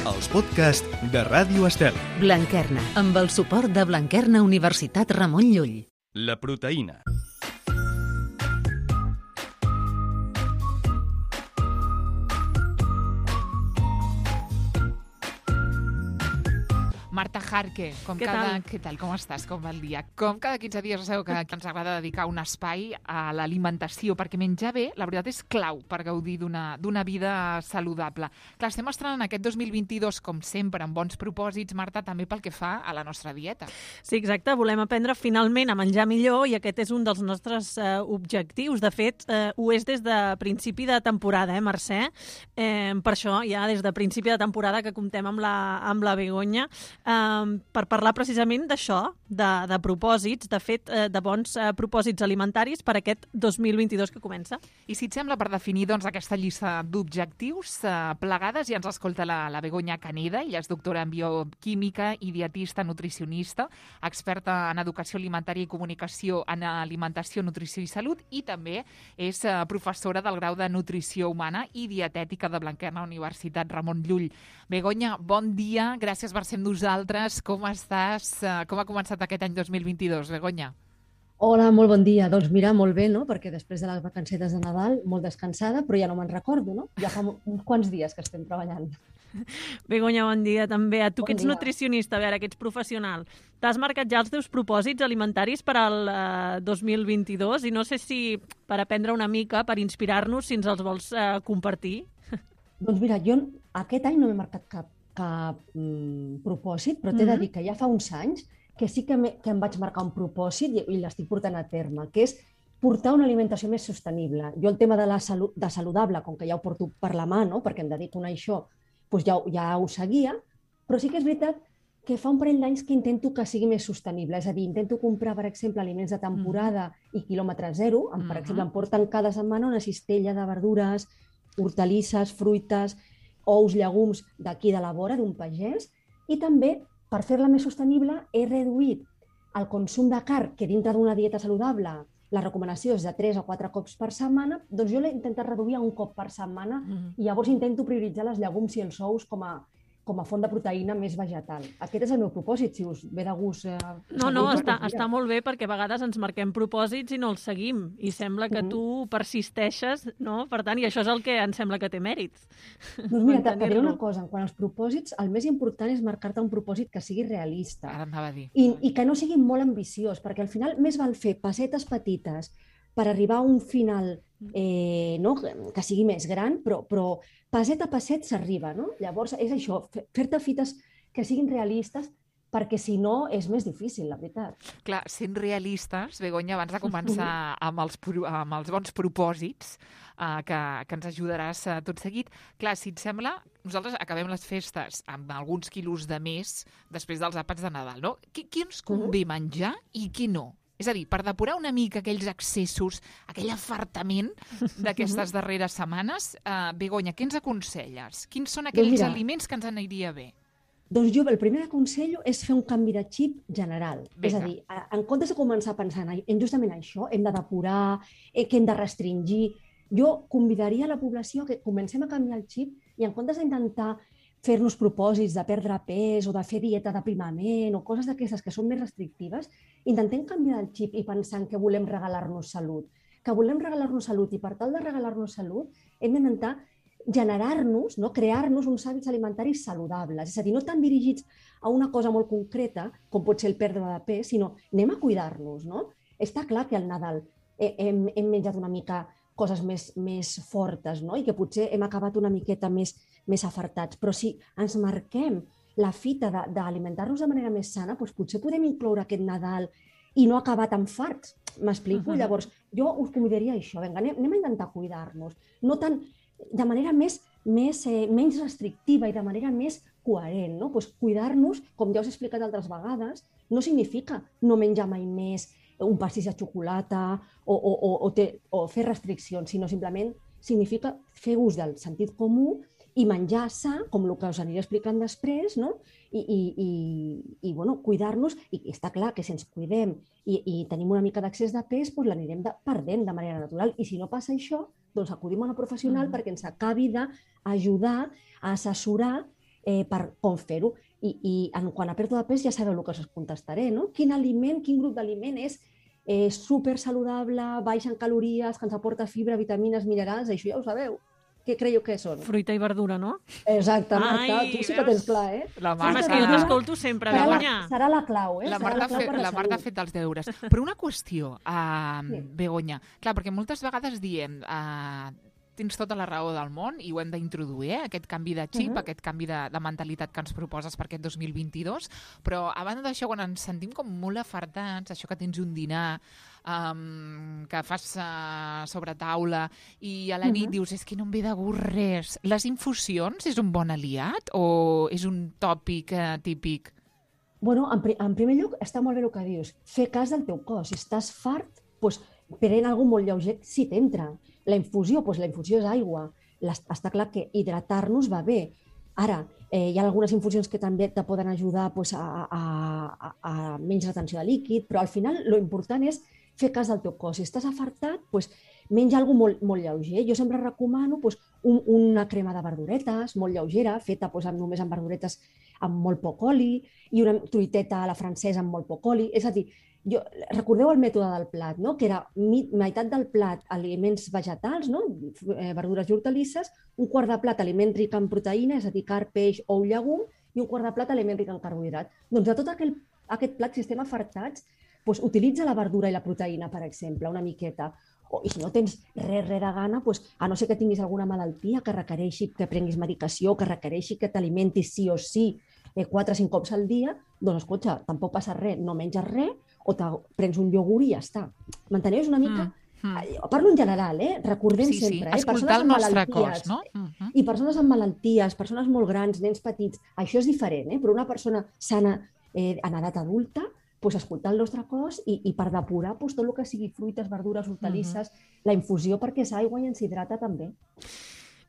els podcasts de Ràdio Estel. Blanquerna, amb el suport de Blanquerna Universitat Ramon Llull. La proteïna. Marta Jarque, què tal? Com estàs? Com va el dia? Com cada 15 dies sabeu que ens agrada dedicar un espai a l'alimentació, perquè menjar bé, la veritat, és clau per gaudir d'una vida saludable. Clar, estem estrenant aquest 2022, com sempre, amb bons propòsits, Marta, també pel que fa a la nostra dieta. Sí, exacte. Volem aprendre finalment a menjar millor i aquest és un dels nostres objectius. De fet, ho és des de principi de temporada, Mercè? Per això, ja des de principi de temporada que comptem amb la Begoña, per parlar precisament d'això, de propòsits, de fet, de bons propòsits alimentaris per aquest 2022 que comença. I si et sembla, per definir doncs, aquesta llista d'objectius plegades, ja ens escolta la Begoña Caneda, ella és doctora en bioquímica i dietista nutricionista, experta en educació alimentària i comunicació en alimentació, nutrició i salut, i també és professora del grau de nutrició humana i dietètica de Blanquerna Universitat Ramon Llull. Begoña, bon dia, gràcies per ser amb nosaltres. Com estàs? Com ha començat aquest any 2022, Begoña? Hola, molt bon dia. Doncs mira, molt bé, no? Perquè després de les vacancetes de Nadal, molt descansada, però ja no me'n recordo, no? Ja fa uns quants dies que estem treballant. Begoña, bon dia també. A tu Bon que ets dia. nutricionista, a veure, que ets professional. T'has marcat ja els teus propòsits alimentaris per al 2022 i no sé si per aprendre una mica, per inspirar-nos, si ens els vols compartir. Doncs mira, jo aquest any no m'he marcat cap propòsit, però t'he de dir que ja fa uns anys que sí que em vaig marcar un propòsit i l'estic portant a terme, que és portar una alimentació més sostenible. Jo el tema de saludable, com que ja ho porto per la mà, no? Perquè em dedico a això, doncs ja ho seguia, però sí que és veritat que fa un parell d'anys que intento que sigui més sostenible. És a dir, intento comprar, per exemple, aliments de temporada i quilòmetre zero. Per exemple, em porten cada setmana una cistella de verdures, hortalisses, fruites, ous, llegums d'aquí de la vora, d'un pagès, i també, per fer-la més sostenible, he reduït el consum de carn, que dintre d'una dieta saludable la recomanació és de 3 o 4 cops per setmana, doncs jo l'he intentat reduir a un cop per setmana i llavors intento prioritzar les llegums i els ous com a font de proteïna més vegetal. Aquest és el meu propòsit, si us ve de gust. No, està molt bé perquè a vegades ens marquem propòsits i no els seguim i sembla que tu persisteixes, no? Per tant, i això és el que ens sembla que té mèrits. Doncs mira, t'he diré una cosa, quan als propòsits el més important és marcar-te un propòsit que sigui realista. Ara anava a dir. I que no sigui molt ambiciós, perquè al final més val fer passetes petites per arribar a un final que sigui més gran, però passet a passet s'arriba, no? Llavors és això, fer-te fites que siguin realistes, perquè si no és més difícil, la veritat. Clar, sent realistes, Begoña, abans de començar amb els bons propòsits que ens ajudaràs tot seguit, clar, si et sembla, nosaltres acabem les festes amb alguns quilos de més després dels àpats de Nadal, no? Qui ens convé menjar i qui no? És a dir, per depurar una mica aquells excessos, aquell afartament d'aquestes darreres setmanes, Begoña, què ens aconselles? Quins són aquells aliments que ens aniria bé? Doncs jo el primer que aconsello és fer un canvi de xip general. Vinga. És a dir, en comptes de començar pensant en justament això, hem de depurar, que hem de restringir, jo convidaria la població que comencem a canviar el xip i en comptes d'intentar fer-nos propòsits de perdre pes o de fer dieta d'aprimament o coses d'aquestes que són més restrictives, intentem canviar el xip i pensar que volem regalar-nos salut. Que volem regalar-nos salut i per tal de regalar-nos salut hem d'intentar generar-nos, crear-nos uns hàbits alimentaris saludables. És a dir, no tan dirigits a una cosa molt concreta, com pot ser el perdre de pes, sinó anem a cuidar-nos. No? Està clar que al Nadal hem menjat una mica coses més fortes, no? I que potser hem acabat una miqueta més afartats. Però si ens marquem la fita d'alimentar-nos de manera més sana, doncs potser podem incloure aquest Nadal i no acabar tan farts. M'explico? Llavors, jo us convidaria a això. Vinga, anem a intentar cuidar-nos. No tant, de manera menys restrictiva i de manera més coherent. No? Doncs cuidar-nos, com ja us he explicat altres vegades, no significa no menjar mai més un pastís de xocolata o fer restriccions, sinó simplement significa fer ús del sentit comú i menjar sa, com el que us aniré explicant després, no? I cuidar-nos, i està clar que si ens cuidem i tenim una mica d'accés de pes, doncs l'anirem perdent de manera natural. I si no passa això, doncs acudim a una professional perquè ens acabi d'ajudar a assessorar per com fer-ho. I quan a pèrdua de pes ja sabeu el que us contestaré, no? Quin grup d'aliment és super saludable, baix en calories, que ens aporta fibra, vitamines, minerals, això ja ho sabeu. Què creieu que són? Fruita i verdura, no? Exacte, Marta, tu sí que tens clar, eh? La Home, és Marta, que jo t'escolto sempre, Begoña. Serà la clau, eh? la Serà Marta ha fet els deures. Però una qüestió, Begoña. Clar, perquè moltes vegades diem... tens tota la raó del món i ho hem d'introduir, aquest canvi de xip, aquest canvi de mentalitat que ens proposes per aquest 2022, però a banda d'això, quan ens sentim com molt afartats, això que tens un dinar, que fas sobre taula i a la nit dius, és que no em ve de gust res. Les infusions és un bon aliat o és un tòpic típic? Bueno, en primer lloc, està molt bé el que dius. Fer cas del teu cos. Si estàs fart, doncs, prenent alguna cosa molt lleuger, sí t'entra. La infusió és aigua. Està clar que hidratar-nos va bé. Ara, hi ha algunes infusions que també te poden ajudar a menys retenció de líquid, però al final l'important és fer cas del teu cos. Si estàs afartat, menja alguna cosa molt lleuger. Jo sempre recomano una crema de verduretes molt lleugera, feta només amb verduretes amb molt poc oli, i una truiteta a la francesa amb molt poc oli. És a dir, recordeu el mètode del plat, no? Que era meitat del plat aliments vegetals, no? Verdures i hortalisses, un quart de plat aliment ric en proteïna, és a dir, carn, peix, ou, llegum, i un quart de plat aliment ric en carbohidrat. Doncs de tot aquest plat, si estem afartats, utilitza la verdura i la proteïna, per exemple, una miqueta. I si no tens res de gana, a no ser que tinguis alguna malaltia que requereixi que prenguis medicació, que requereixi que t'alimentis sí o sí 4 o 5 cops al dia, doncs, escolta, tampoc passa res, no menges res, o prens un iogurt i ja està. M'enteneu? És una mica... Parlo en general, recordem sempre. Escoltar el nostre cos, no? I persones amb malalties, persones molt grans, nens petits, això és diferent, però una persona sana en edat adulta, escoltar el nostre cos i per depurar tot el que sigui fruites, verdures, hortalisses, la infusió perquè és aigua i ens hidrata també.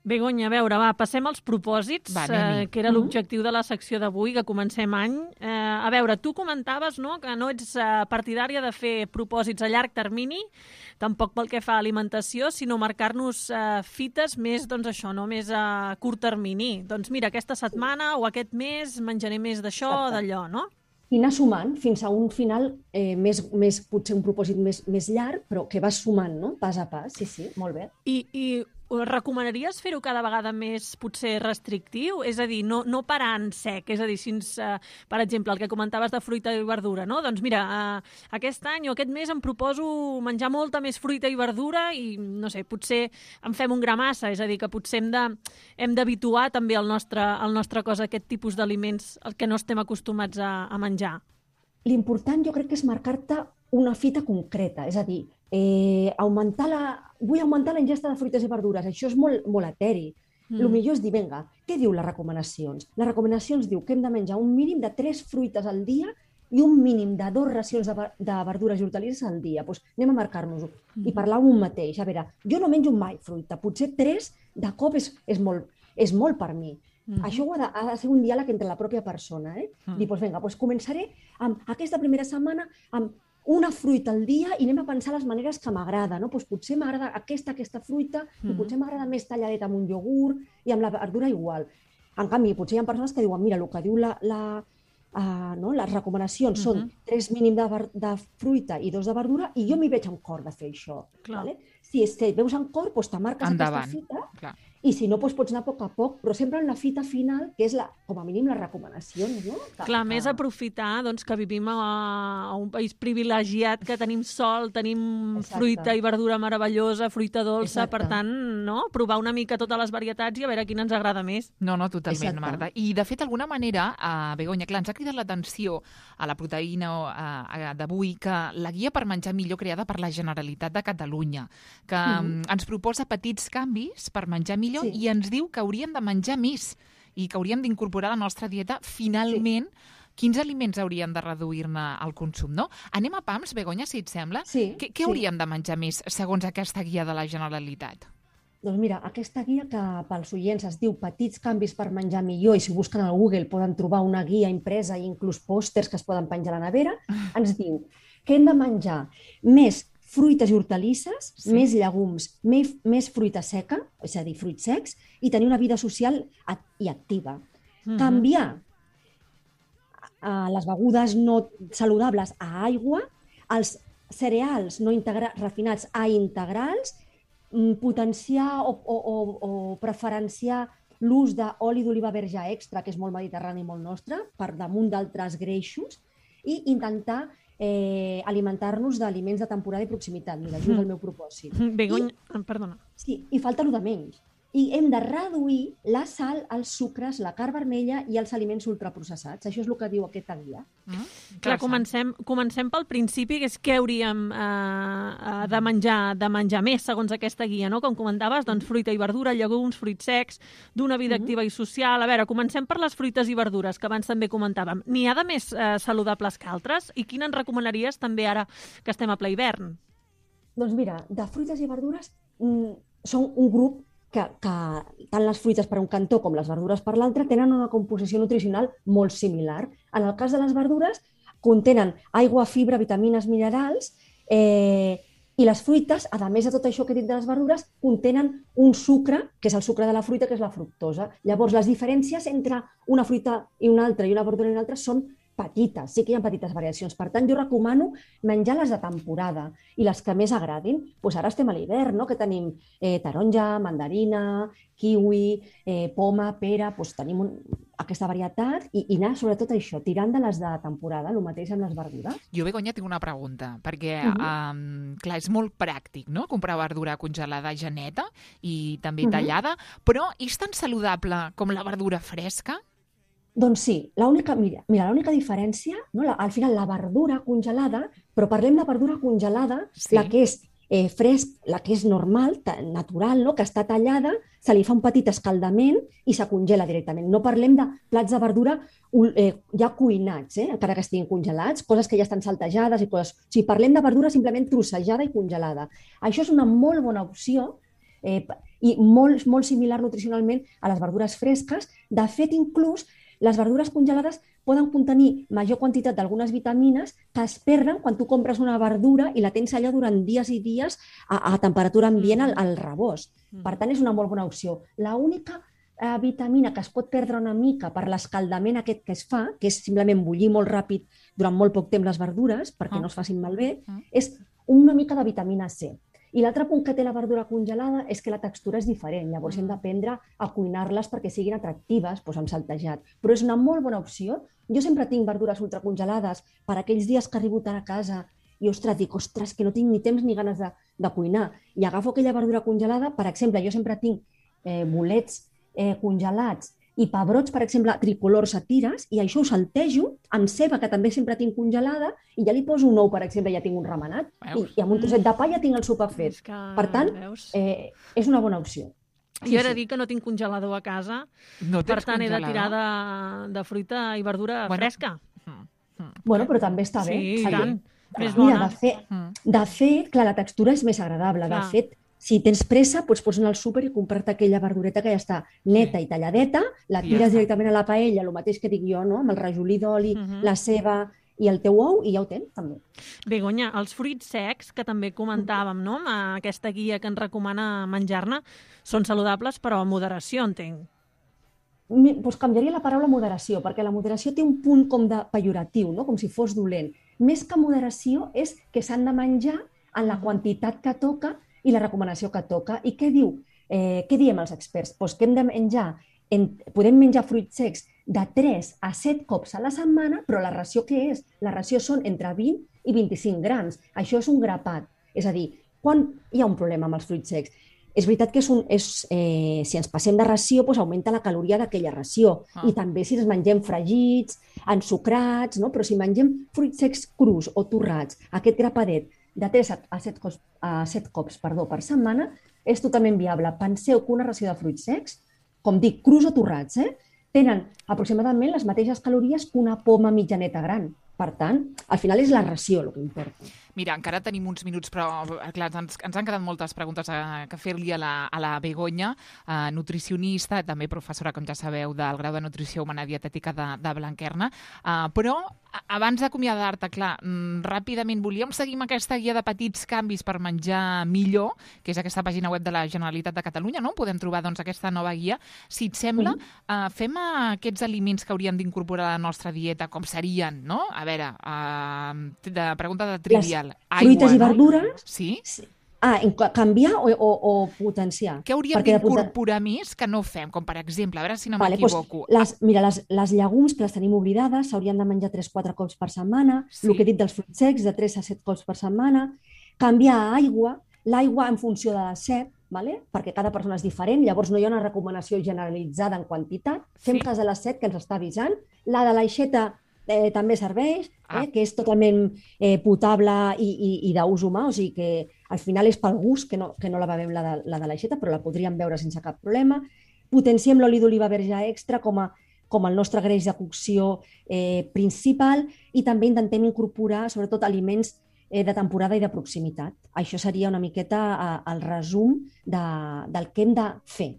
Begoña, a veure, passem als propòsits, que era l'objectiu de la secció d'avui, que comencem any. A veure, tu comentaves, no?, que no ets partidària de fer propòsits a llarg termini, tampoc pel que fa a alimentació, sinó marcar-nos fites més, doncs això, no?, més a curt termini. Doncs mira, aquesta setmana o aquest mes menjaré més d'això o d'allò, no? I anar sumant fins a un final, potser un propòsit més llarg, però que vas sumant, no?, pas a pas. Sí, molt bé. I recomanaries fer-ho cada vegada més, potser, restrictiu? És a dir, no parar en sec. És a dir, si per exemple, el que comentaves de fruita i verdura, no? Doncs mira, aquest any o aquest mes em proposo menjar molta més fruita i verdura i, no sé, potser en fem un gra massa. És a dir, que potser hem d'habituar també el nostre cos a aquest tipus d'aliments al que no estem acostumats a menjar. L'important jo crec que és marcar-te una fita concreta, és a dir, vull augmentar la ingesta de fruites i verdures, això és molt eteri. El millor és dir, vinga, què diu les recomanacions? Les recomanacions diu que hem de menjar un mínim de 3 fruites al dia i un mínim de 2 racions de verdures i hortalisses al dia. Doncs anem a marcar-nos-ho i parlar un mateix. A veure, jo no menjo mai fruita, potser 3 de cop és molt per mi. Això ha de ser un diàleg entre la pròpia persona. Dir, doncs vinga, començaré amb aquesta primera setmana amb una fruita al dia i anem a pensar les maneres que m'agrada. Potser m'agrada aquesta fruita i potser m'agrada més talladeta amb un iogurt i amb la verdura igual. En canvi, potser hi ha persones que diuen, mira, el que diu les recomanacions són 3 mínim de fruita i 2 de verdura i jo m'hi veig en cor de fer això. Si veus en cor, te marques aquesta fita i si no, pots anar a poc, però sempre en la fita final, que és, com a mínim, les recomanacions. Clar, més aprofitar que vivim a un país privilegiat, que tenim sol, tenim fruita i verdura meravellosa, fruita dolça, per tant, provar una mica totes les varietats i a veure quina ens agrada més. No, totalment, Marta. I, de fet, d'alguna manera, Begoña, clar, ens ha cridat l'atenció a la proteïna d'avui, que la guia per menjar millor creada per la Generalitat de Catalunya, que ens proposa petits canvis per menjar millor i ens diu que hauríem de menjar més i que hauríem d'incorporar a la nostra dieta, finalment, quins aliments hauríem de reduir-ne el consum, no? Anem a pams, Begoña, si et sembla. Què hauríem de menjar més, segons aquesta guia de la Generalitat? Doncs mira, aquesta guia que pels oients es diu Petits canvis per menjar millor, i si busquen al Google poden trobar una guia impresa i inclús pòsters que es poden penjar a la nevera, ens diu que hem de menjar més fruites i hortalisses, més llegums, més fruita seca, és a dir, fruits secs, i tenir una vida social i activa. Canviar les begudes no saludables a aigua, els cereals no refinats a integrals, potenciar o preferenciar l'ús d'oli d'oliva verge extra, que és molt mediterrani i molt nostre, per damunt d'altres greixos, i intentar alimentar-nos d'aliments de temporada i proximitat. Mira, això és el meu propòsit. Perdona. Sí, i falta el de menys. I hem de reduir la sal, els sucres, la carn vermella i els aliments ultraprocessats. Això és el que diu aquesta guia. Clar, comencem pel principi, que és què hauríem de menjar més, segons aquesta guia, no? Com comentaves, doncs fruita i verdura, llegums, fruits secs, d'una vida activa i social. A veure, comencem per les fruites i verdures, que abans també comentàvem. N'hi ha de més saludables que altres? I quina ens recomanaries també ara que estem a ple hivern? Doncs mira, de fruites i verdures són un grup que tant les fruites per un cantó com les verdures per l'altre tenen una composició nutricional molt similar. En el cas de les verdures, contenen aigua, fibra, vitamines, minerals, i les fruites, a més de tot això que he dit de les verdures, contenen un sucre, que és el sucre de la fruita, que és la fructosa. Llavors, les diferències entre una fruita i una altra i una verdura i una altra són petites, sí que hi ha petites variacions. Per tant, jo recomano menjar les de temporada i les que més agradin. Doncs ara estem a l'hivern, no? Que tenim taronja, mandarina, kiwi, poma, pera, doncs tenim aquesta varietat i anar sobretot això, tirant de les de temporada, el mateix amb les verdures. Jo, Begoña, tinc una pregunta, perquè clar, és molt pràctic, no?, comprar verdura congelada ja neta i també tallada, però és tan saludable com la verdura fresca? Doncs sí, l'única diferència, no? Al final la verdura congelada, però parlem de verdura congelada, sí. La que és fresc, la que és normal, natural, no? Que està tallada, se li fa un petit escaldament i se congela directament. No parlem de plats de verdura ja cuinats, encara que estiguin congelats, coses que ja estan saltejades i coses. O sigui, parlem de verdura simplement trossejada i congelada. Això és una molt bona opció i molt, molt similar nutricionalment a les verdures fresques. De fet, inclús, les verdures congelades poden contenir major quantitat d'algunes vitamines que es perden quan tu compres una verdura i la tens allà durant dies i dies a temperatura ambient al rebost. Per tant, és una molt bona opció. L'única vitamina que es pot perdre una mica per l'escaldament aquest que es fa, que és simplement bullir molt ràpid durant molt poc temps les verdures perquè no es facin malbé, és una mica de vitamina C. I l'altre punt que té la verdura congelada és que la textura és diferent, llavors hem d'aprendre a cuinar-les perquè siguin atractives, doncs amb saltejat. Però és una molt bona opció. Jo sempre tinc verdures ultracongelades per aquells dies que arribo tard a casa i, dic, que no tinc ni temps ni ganes de cuinar. I agafo aquella verdura congelada, per exemple, jo sempre tinc bolets congelats i pebrots, per exemple, tricolors a tires, i això ho saltejo amb ceba, que també sempre tinc congelada, i ja li poso un ou, per exemple, ja tinc un remenat, i amb un trosset de pa ja tinc el sopar fet. Per tant, és una bona opció. Jo he de dir que no tinc congelador a casa, per tant he de tirar de fruita i verdura fresca. Bueno, però també està bé. Sí, tant. Més bona. De fet, clar, la textura és més agradable. De fet, si tens pressa, pots anar al súper i comprar-te aquella verdureta que ja està neta i talladeta, la tires directament a la paella, el mateix que dic jo, no? Amb el rajolí d'oli, la ceba i el teu ou, i ja ho tens, també. Begoña, els fruits secs, que també comentàvem, no?, amb aquesta guia que ens recomana menjar-ne, són saludables, però a moderació, entenc. Doncs canviaria la paraula moderació, perquè la moderació té un punt com de pejoratiu, no? Com si fos dolent. Més que moderació és que s'han de menjar en la quantitat que toca i la recomanació que toca. I què diu? Què diem els experts? Doncs que hem de menjar, podem menjar fruits secs de 3 a 7 cops a la setmana, però la ració què és? La ració són entre 20 i 25 grams. Això és un grapat. És a dir, quan hi ha un problema amb els fruits secs? És veritat que si ens passem de ració, doncs augmenta la caloria d'aquella ració. I també si els mengem fregits, ensucrats, no? Però si mengem fruits secs crus o torrats, aquest grapadet, de 3 a 7 cops per setmana, és totalment viable. Penseu que una ració de fruits secs, com dic, crus o torrats, tenen aproximadament les mateixes calories que una poma mitjaneta gran. Per tant, al final és la ració el que importa. Mira, encara tenim uns minuts, però clar, ens han quedat moltes preguntes que fer-li a la Begoña, nutricionista, també professora, com ja sabeu, del grau de Nutrició Humana Dietètica de Blanquerna. Però abans d'acomiadar-te, clar, ràpidament volíem seguir amb aquesta guia de petits canvis per menjar millor, que és aquesta pàgina web de la Generalitat de Catalunya, no? Podem trobar doncs, aquesta nova guia. Si et sembla, fem aquests aliments que hauríem d'incorporar a la nostra dieta, com serien, no? A veure, pregunta de trivial. Fruites i verdures? Sí. Canviar o potenciar? Què hauríem d'incorporar més que no fem? Com per exemple, a veure si no m'equivoco. Mira, les llegums, que les tenim oblidades, s'haurien de menjar 3-4 cops per setmana. Sí. El que he dit dels fruits secs, de 3 a 7 cops per setmana. Canviar a aigua, l'aigua en funció de la set, vale? Perquè cada persona és diferent, llavors no hi ha una recomanació generalitzada en quantitat. Fem cas de la set, que ens està avisant. La de l'aixeta també serveix, que és totalment potable i d'ús humà, o sigui que al final és pel gust que no la bevem la de l'aixeta, però la podríem beure sense cap problema. Potenciem l'oli d'oliva verge extra com el nostre greix de cocció principal i també intentem incorporar sobretot aliments de temporada i de proximitat. Això seria una miqueta el resum del que hem de fer.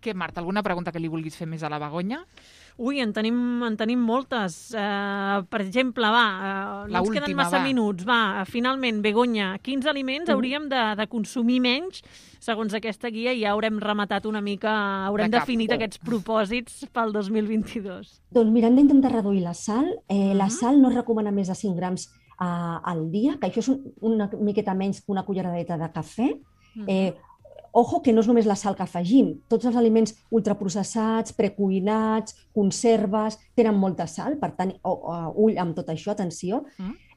Què, Marta, alguna pregunta que li vulguis fer més a la Begoña? Ui, en tenim moltes. Per exemple, no ens queden massa minuts. Finalment, Begoña, quins aliments hauríem de consumir menys? Segons aquesta guia ja haurem rematat una mica, haurem definit aquests propòsits pel 2022. Doncs mira, hem d'intentar reduir la sal. La sal no es recomana més de 5 grams al dia, que això és una miqueta menys que una culleradeta de cafè. Ojo, que no és només la sal que afegim. Tots els aliments ultraprocessats, precuinats, conserves, tenen molta sal, per tant, ull amb tot això, atenció.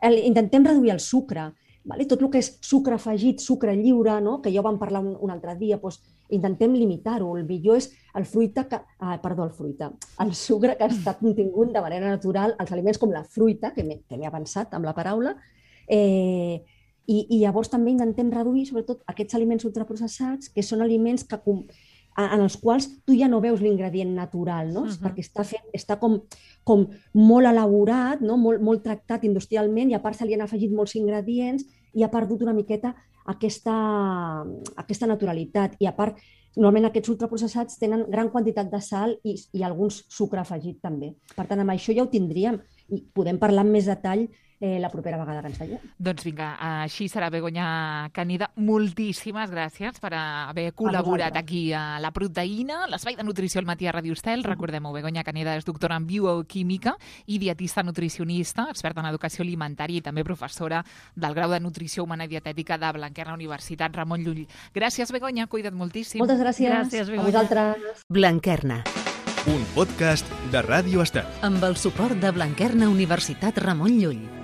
Intentem reduir el sucre. Tot el que és sucre afegit, sucre lliure, que ja ho vam parlar un altre dia, intentem limitar-ho. El millor és el sucre que està contingut de manera natural als aliments com la fruita, que m'he avançat amb la paraula, i llavors també intentem reduir sobretot aquests aliments ultraprocessats, que són aliments en els quals tu ja no veus l'ingredient natural, no? Perquè està com molt elaborat, no? molt tractat industrialment, i a part se li han afegit molts ingredients i ha perdut una miqueta aquesta naturalitat. I a part, normalment aquests ultraprocessats tenen gran quantitat de sal i alguns sucre afegit també. Per tant, amb això ja ho tindríem i podem parlar amb més detall la propera vegada que ens veiem. Doncs vinga, així serà, Begoña Canida. Moltíssimes gràcies per haver col·laborat aquí a La Proteïna, l'espai de nutrició al matí a Ràdio Estel. Recordem-ho, Begoña Canida és doctora en bioquímica i dietista nutricionista, experta en educació alimentària i també professora del grau de Nutrició Humana i Dietètica de Blanquerna Universitat Ramon Llull. Gràcies, Begoña, cuida't moltíssim. Moltes gràcies. A vosaltres. Blanquerna. Un podcast de Ràdio Estel. Amb el suport de Blanquerna Universitat Ramon Llull.